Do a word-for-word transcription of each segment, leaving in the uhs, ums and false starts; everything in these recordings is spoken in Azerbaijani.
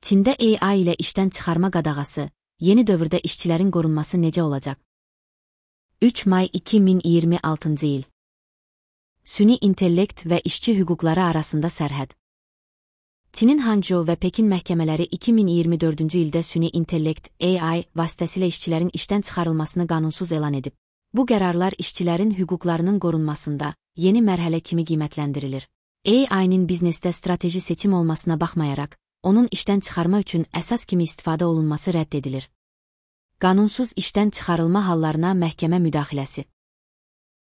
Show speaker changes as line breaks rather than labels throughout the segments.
Çində A I ilə işdən çıxarma qadağası, yeni dövrdə işçilərin qorunması necə olacaq? üç may iki min iyirmi altıncı il. Süni intellekt və işçi hüquqları arasında sərhəd. Çinin Hangzhou və Pekin məhkəmələri iki min iyirmi dördüncü ildə süni intellekt A I vasitəsilə işçilərin işdən çıxarılmasını qanunsuz elan edib. Bu qərarlar işçilərin hüquqlarının qorunmasında yeni mərhələ kimi qiymətləndirilir. A I-nin biznesdə strateji seçim olmasına baxmayaraq, onun işdən çıxarma üçün əsas kimi istifadə olunması rədd edilir. Qanunsuz işdən çıxarılma hallarına məhkəmə müdaxiləsi.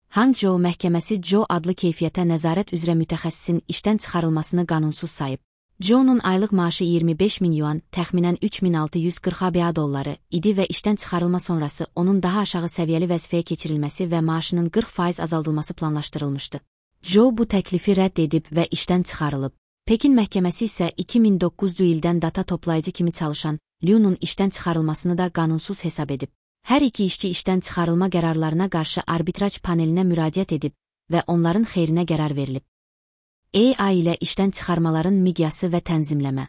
Hangzhou məhkəməsi Zhou adlı keyfiyyətə nəzarət üzrə mütəxəssisin işdən çıxarılmasını qanunsuz sayıb. Zhou'nun aylıq maaşı iyirmi beş min yuan, təxminən üç min altı yüz qırx ABC dolları idi və işdən çıxarılma sonrası onun daha aşağı səviyyəli vəzifəyə keçirilməsi və maaşının qırx faiz azaldılması planlaşdırılmışdı. Zhou bu təklifi rədd edib və işdən çıxarılıb. Pekin məhkəməsi isə iki min doqquzuncu ildən data toplayıcı kimi çalışan Liu'nun işdən çıxarılmasını da qanunsuz hesab edib. Hər iki işçi işdən çıxarılma qərarlarına qarşı arbitraj panelinə müraciət edib və onların xeyrinə qərar verilib. A I ilə işdən çıxarmaların miqyası və tənzimləmə.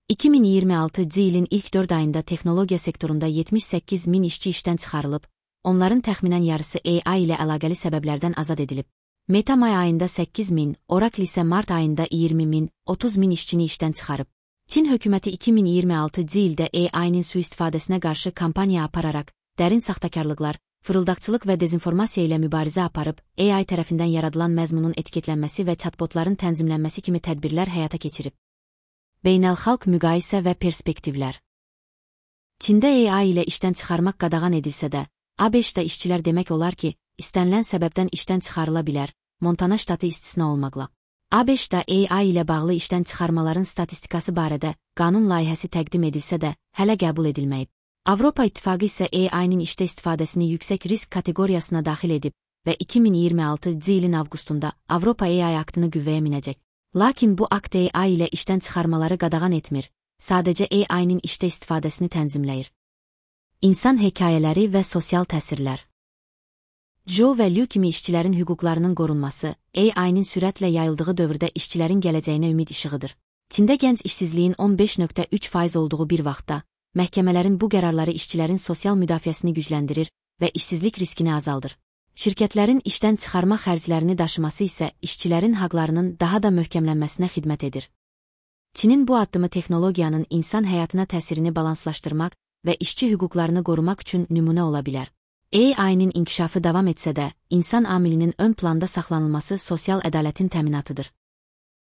iki min iyirmi altıncı ilin ilk dörd ayında texnologiya sektorunda yetmiş səkkiz min işçi işdən çıxarılıb, onların təxminən yarısı A I ilə əlaqəli səbəblərdən azad edilib. Meta may ayında səkkiz min, Oracle isə mart ayında iyirmi min, otuz min işçini işdən çıxarıb. Çin hökuməti iki min iyirmi altıncı ildə A I-nin sui-istifadəsinə qarşı kampaniya apararaq, dərin saxtakarlıqlar, fırıldaqçılıq və dezinformasiya ilə mübarizə aparıb, A I tərəfindən yaradılan məzmunun etiketlənməsi və chatbotların tənzimlənməsi kimi tədbirlər həyata keçirib. Beynəlxalq müqayisə və perspektivlər. Çində A I ilə işdən çıxarmaq qadağan edilsə də, ABŞ-da işçilər demək olar ki, istənilən səbəbdən işdən çıxarıla bilər, Montana ştatı istisna olmaqla. ABŞ-da A I ilə bağlı işdən çıxarmaların statistikası barədə qanun layihəsi təqdim edilsə də, hələ qəbul edilməyib. Avropa İttifaqı isə A I-nin işdə istifadəsini yüksək risk kateqoriyasına daxil edib və iki min iyirmi altıncı ilin avqustunda Avropa A I aktını qüvvəyə minəcək. Lakin bu akt A I ilə işdən çıxarmaları qadağan etmir, sadəcə A I-nin işdə istifadəsini tənzimləyir. İnsan hekayələri və sosial təsirlər. Zhou və Liu kimi işçilərin hüquqlarının qorunması, A I-nin sürətlə yayıldığı dövrdə işçilərin gələcəyinə ümid işığıdır. Çində gənc işsizliyin on beş nöqtə üç faiz olduğu bir vaxtda, məhkəmələrin bu qərarları işçilərin sosial müdafiəsini gücləndirir və işsizlik riskini azaldır. Şirkətlərin işdən çıxarma xərclərini daşıması isə işçilərin haqlarının daha da möhkəmlənməsinə xidmət edir. Çinin bu addımı texnologiyanın insan həyatına təsirini balanslaşdırmaq və işçi hüquqlarını qorumaq üçün nümunə ola bilər. A I-nin inkişafı davam etsə də, insan amilinin ön planda saxlanılması sosial ədalətin təminatıdır.